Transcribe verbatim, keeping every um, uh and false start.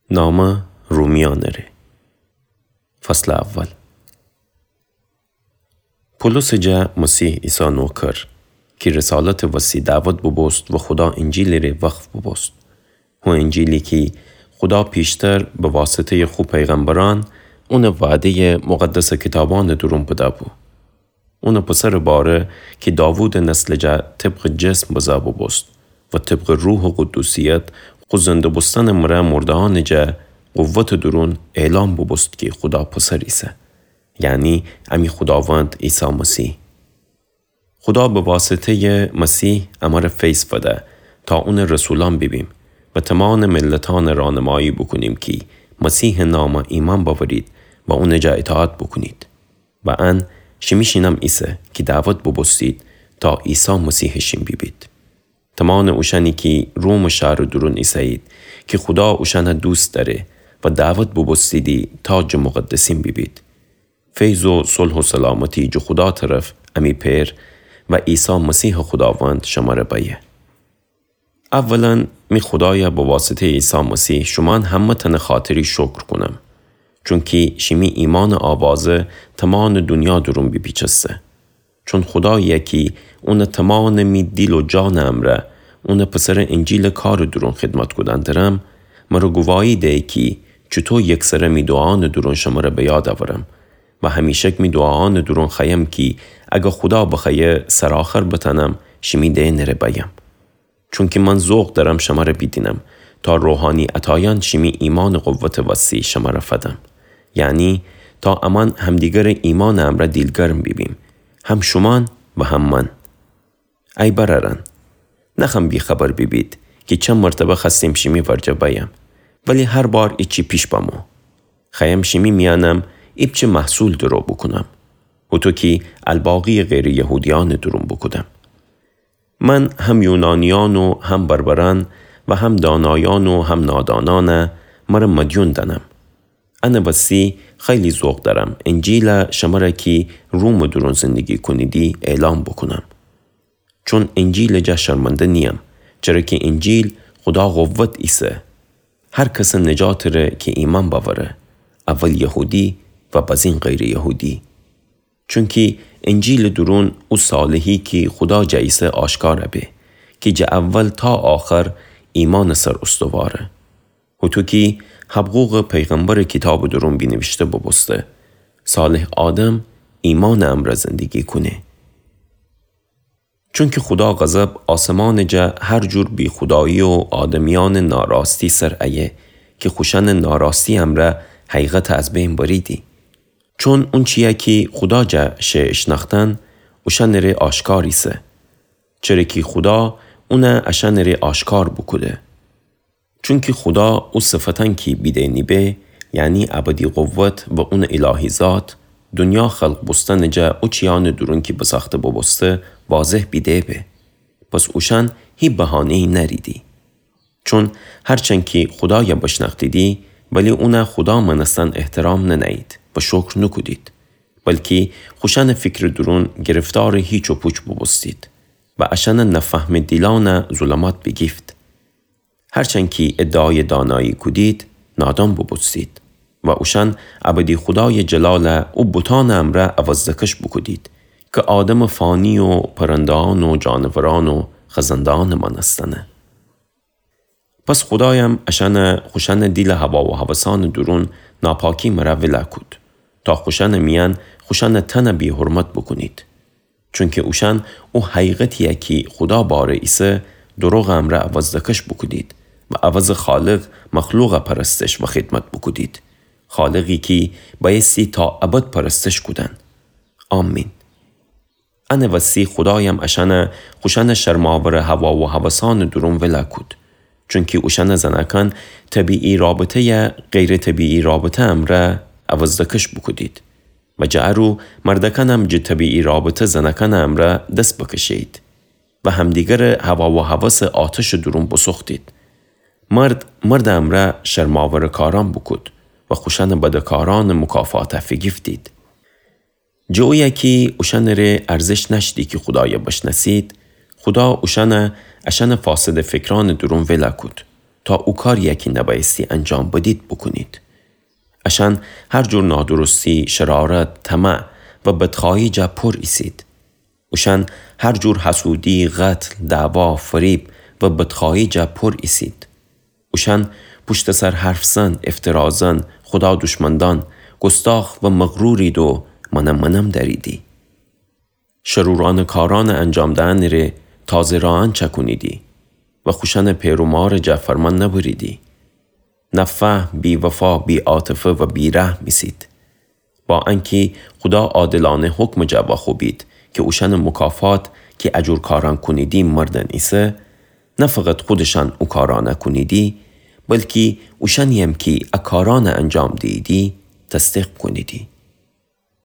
نامه رومیأنٚ ره. فصلٚ اول. پولوسٚ جا مسیح عیسی نوکر، کی رسالتٚ وسی دعوت بوبوست و خودا انجیلی ره وقف بوبوست. هو انجیلی کی خودا پیشتر به واسطه‌یٚ خو پیغمبرأن اونٚ وعده‌یٚ مقدسٚ کیتابأنٚ دورون بده‌بو. اونٚ پسرٚ باره کی داوودٚ نسلٚ جا طبقٚ جسم بزه بوبوست و طبقٚ روحٚ قدوسیت خو زنده بوستنٚ مره مرده‌یأنٚ جا قوتٚ دورون اعلام بوبوست کی خودا پسر ایسه، یعنی امی خوداوند عیسی مسیح. خودا به واسطه‌یٚ مسیح امره فیض فده تا اونٚ رسولأن بیبیم و تومامٚ ملتأن رانمایی بوکونیم کی مسیحٚ نام ایمأن بأورید و اونٚ جا اطاعت بوکونید. و ان شیمی شینم ایسه کی دعوت بوبوستید تا عیسی مسیحٚ شین بیبید. تومامٚ اوشأنی کی رومٚ شهرٚ دورون ایسه‌یید کی خودا اوشأنه دوست دأره و دعوت بوبوستیدی تا جٚه مقدسین بیبید. فیض و صلح و سلامتی جٚه خودا طرف امی پئر و عیسی مسیحٚ خوداوند شمره بأیه. اولاً می خودایه به واسطه‌یٚ عیسی مسیح شومأن همه‌تأنٚ خاطری شکر کونم، چونکی شیمی ایمأنٚ آوازه تومامٚ دونیا دورون بیپیچسته. چون خودایی‌یی کی اونٚ تومامٚ می دیل و جانٚ امرأ اونٚ پسرٚ انجیلٚ کارٚ دورون خدمت کودن درم، مره گواهی ده کی چوطو یکسره می دوعانٚ دورون شمره به یاد اورم و همیشک می دوعانٚ دورون خوأیم کی اگر خودا بخوأیه سرآخر بتأنم شیمی دئنٚ ره بأیم. چونکی من ذوق دأرم شمره بیدینم، تا روحانی عطایأن شیمی ایمأنٚ قوتٚ وسی شمره فدم. یعنی تا امأن همدیگرٚ ایمأنٚ امرأ دیلگرم بیبیم، هم شومأن و هم من. ای برأرأن، نخوأم بی‌خبر بیبید کی چند مرتبه خوأستیم شیمی ورجه بأیم، ولی هر بار ایچی پیش بمو. خوأیم شیمی میأنم ایپچه محصول درو بوکونم، هوطو کی الباقی‌یٚ غیرٚ یهودیأنٚ دورون بوکودم. من هم یونانیأن و هم بربرأن و هم دانایأن و هم نادانأنه مره مدیون دأنم. انٚ وسی خیلی ذوق دأرم انجیله شمره کی رومٚ دورون زندگی کونیدی اعلام بوکونم. چون انجیلٚ جا شرمنده نییم، چره کی انجیل خودا قوت ایسه هر کسٚ نجاتٚ ره کی ایمأن بأوره، اول یهودی و بازین غیرٚ یهودی. چونکی انجیلٚ دورون او صالحی کی خودا جا ایسه آشکار به، کی جٚه اول تا آخر ایمأنٚ سر استواره. هوطو کی حبقوقٚ پیغمبرٚ کیتابٚ دورون بینیویشته بوبوسته، صالح آدم ایمأنٚ امرأ زندگی کونه. چونکی خودا غضب آسمانٚ جا هر جور بی‌خودایی و آدمیأنٚ ناراستی سر ایه کی خوشأنٚ ناراستی امرأ حقیقت از بین بریدی. چون اونچیی کی خودا جا شه اشنأختن، اوشأنٚ ره آشکار ایسه. چره کی خودا اونه اشأنٚ ره آشکار بوکوده. چونکی خودا او صفتأن کی بیدینی به، یعنی ابدی قوت و اونٚ الهی ذات، دونیا خلق بوستنٚ جا او چیأنٚ دورون کی بسأخته بوبوسته، واضح بیده به. پس اوشأن هی بهانه‌یی نأریدی. چون هرچند کی خودای بشنأختیدی، ولی اون خودا مأنستن احترام ننه‌یید و شکر نوکودید، بلکی خوشأنٚ فیکرٚ دورون گرفتارٚ هیچ و پوچ بوبوستید و اشأنٚ نافهمٚ دیلأن ظلمات بیگیفت. هرچند کی ادعای دانایی کودید، نادان بوبوستید و اوشأن ابدی خودای جلال او بوتأنٚ امرأ عوضدکش بوکودید کی آدمٚ فانی و پرنده‌أن و جانورأن و خزنده‌أنٚ مأنستنه. پس خودایم اشأنه خوشأنٚ دیلٚ هوا و هوسأنٚ دورون ناپاکی مره ویلا کود، تا خوشأنٚ میأن خوشأنٚ تنه بی‌حرمت بوکونید. چونکی اوشأن او حقیقتیی کی خودا باره ایسه، دروغٚ امرأ عوضدکش بوکودید و عوضٚ خالق مخلوقه پرستش و خدمت بوکودید، خالقی کی بأیستی تا ابد پرستش کودن. آمین. انٚ وسی خودایم اشأنه خوشأنٚ شرم‌آورٚ هوا و هوسأنٚ دورون ویلا کود. چونکی اوشأنٚ زنأکأن طبیعی رابطه‌یه غیرطبیعی رابطه امرأ عوضدکش بوکودید و جٚه ارو مردأکأنم جٚه طبیعی رابطه زنأکأنٚ امرأ دس بکشه‌یید و همدیگرٚ هوا و هوسٚ آتشٚ دورون بوسوختید. مرد مردٚ امرأ شرم‌آورٚ کارأن بوکود و خوشأنٚ بدٚ کارأنٚ مکافاته فیگیفتید. جٚه اویه کی اوشأنٚ ره ارزش نأشتی کی خودای بشنأسید، خودا اوشأنه اشأنٚ فاسدٚ فیکرأنٚ دورون ویلا کود. تا او کاریی کی نبأیستی انجام بدید بوکونید. اشأن هر جور نادرستی، شرارت، طمع و بدخوأیی جا پور ایسید. اوشأن هر جور حسودی، قتل، دعوا، فریب و بدخوأیی جا پور ایسید. اوشأن پوشتٚ سر حرف زن، افترا زن، خودا دوشمندأن، گستاخ و مغرورید و منم منم دأریدی. شرورأنٚ کارأنٚ انجام دئنٚ ره تازه رأیأن چأکونیدی و خوشأنٚ پئر و مارٚ جا فرمأن نبریدی. نافهم، بی‌وفا، بی‌عاطفه و بی‌رحم ایسید. با انکی خودا عادلأنه حکمٚ جا واخوبید کی اوشأنٚ مکافات کی ا جور کارأن کونیدی مردن ایسه، نه فقط خودشأن او کارأنَ کونیدی، بلکی اوشأنی‌یم کی ا کارأنَ انجام دییدی، تصدیق کونیدی.